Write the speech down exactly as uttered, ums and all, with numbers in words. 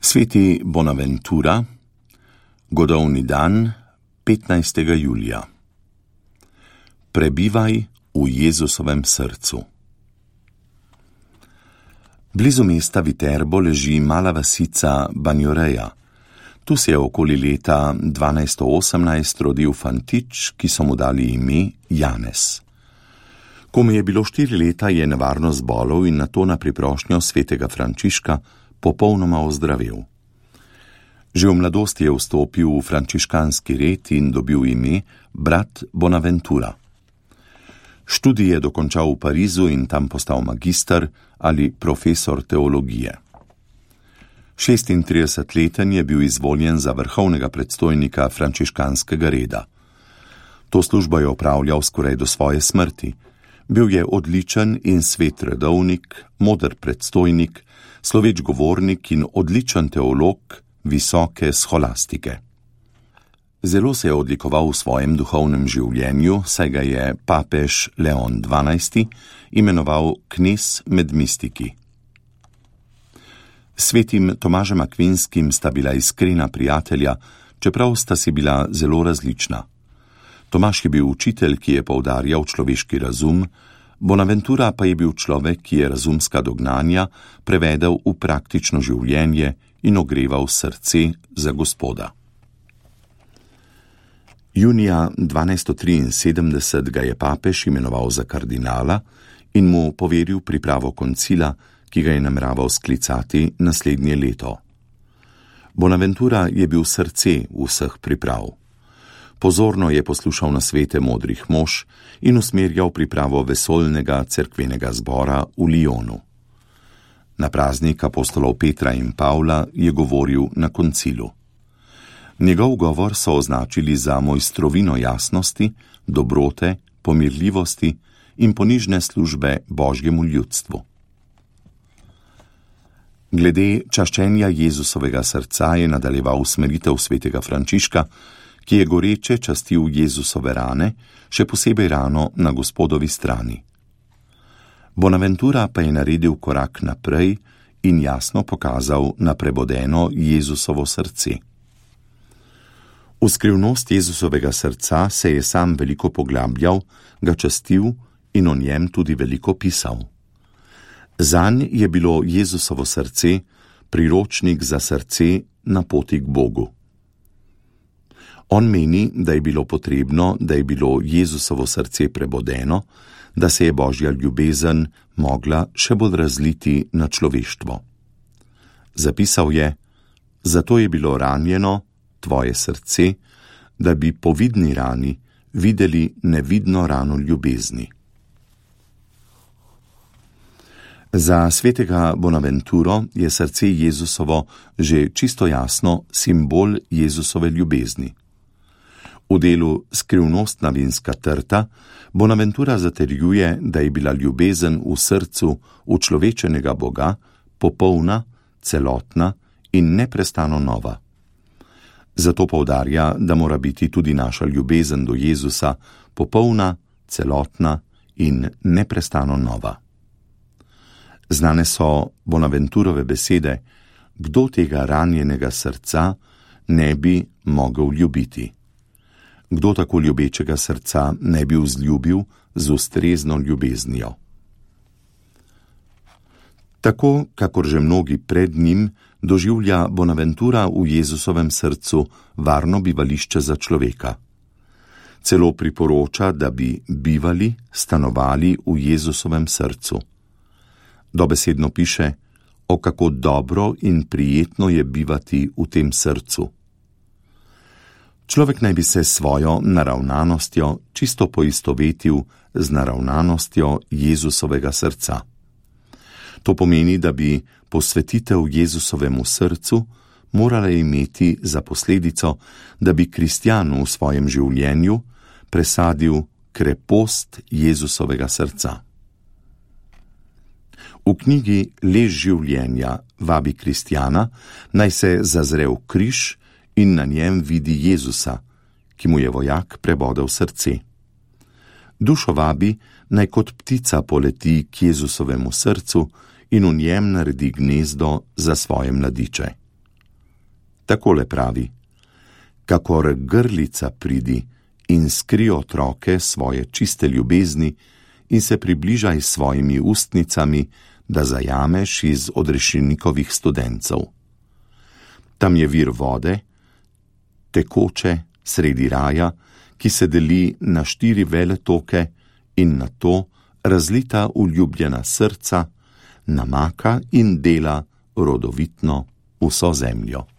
Sveti Bonaventura, godovni dan, petnajstega julija. Prebivaj v Jezusovem srcu. Blizu mesta Viterbo leži mala vasica Banjoreja. Tu se je okoli leta dvanajsto osemnajst rodil fantič, ki so mu dali ime Janez. Ko mu je bilo štiri leta, je nevarno zbolel in nato na priprošnjo svetega Frančiška popolnoma ozdravel. Že v mladosti je vstopil v frančiškanski red in dobil ime brat Bonaventura. Študij je dokončal v Parizu in tam postal magister ali profesor teologije. šestintridesetleten je bil izvoljen za vrhovnega predstojnika frančiškanskega reda. To službo je opravljal skoraj do svoje smrti. Bil je odličen in svet redovnik, moder predstojnik, sloveč govornik in odličen teolog visoke scholastike. Zelo se je odlikoval v svojem duhovnem življenju, saj ga je papež Leon dvanajsti imenoval knez med mistiki. Svetim Tomažem Akvinskim sta bila iskrena prijatelja, čeprav sta si bila zelo različna. Tomaž je bil učitelj, ki je poudarjal človeški razum, Bonaventura pa je bil človek, ki je razumska dognanja prevedel v praktično življenje in ogreval srce za Gospoda. Junija dvanajsto triinsedemdeset ga je papež imenoval za kardinala in mu poveril pripravo koncila, ki ga je nameraval sklicati naslednje leto. Bonaventura je bil srce vseh priprav. Pozorno je poslušal nasvete modrih mož in usmerjal pripravo vesoljnega cerkvenega zbora v Lyonu. Na praznik apostolov Petra in Pavla je govoril na koncilu. Njegov govor so označili za mojstrovino jasnosti, dobrote, pomirljivosti in ponižne službe Božjemu ljudstvu. Glede čaščenja Jezusovega srca je nadaljeval usmeritev svetega Frančiška, ki je goreče častil Jezusove rane, še posebej rano na Gospodovi strani. Bonaventura pa je naredil korak naprej in jasno pokazal na prebodeno Jezusovo srce. V skrivnost Jezusovega srca se je sam veliko poglabljal, ga častil in o njem tudi veliko pisal. Zanj je bilo Jezusovo srce priročnik za srce na poti k Bogu. On meni, da je bilo potrebno, da je bilo Jezusovo srce prebodeno, da se je Božja ljubezen mogla še bolj razliti na človeštvo. Zapisal je: zato je bilo ranjeno tvoje srce, da bi po vidni rani videli nevidno rano ljubezni. Za svetega Bonaventuro je srce Jezusovo že čisto jasno simbol Jezusove ljubezni. V delu Skrivnostna vinska trta Bonaventura zatrjuje, da je bila ljubezen v srcu učlovečenega Boga popolna, celotna in neprestano nova. Zato poudarja, da mora biti tudi naša ljubezen do Jezusa popolna, celotna in neprestano nova. Znane so Bonaventurove besede: kdo tega ranjenega srca ne bi mogel ljubiti? Kdo tako ljubečega srca ne bi vzljubil z ustrezno ljubeznijo? Tako, kakor že mnogi pred njim, doživlja Bonaventura v Jezusovem srcu varno bivališče za človeka. Celo priporoča, da bi bivali, stanovali v Jezusovem srcu. Dobesedno piše: o kako dobro in prijetno je bivati v tem srcu. Človek naj bi se svojo naravnanostjo čisto poistovetil z naravnanostjo Jezusovega srca. To pomeni, da bi posvetitev Jezusovemu srcu morala imeti za posledico, da bi kristjan v svojem življenju presadil krepost Jezusovega srca. V knjigi Lež življenja vabi kristjana, naj se zazre v križ in na njem vidi Jezusa, ki mu je vojak prebodel srce. Dušo vabi, naj kot ptica poleti k Jezusovemu srcu in v njem naredi gnezdo za svoje mladiče. Takole pravi: kakor grlica pridi in skri otroke svoje čiste ljubezni in se približaj s svojimi ustnicami, da zajameš iz odrešenikovih studencev. Tam je vir vode, tekoče sredi raja, ki se deli na štiri veletoke in na to razlita uljubljena srca, namaka in dela rodovitno vso zemljo.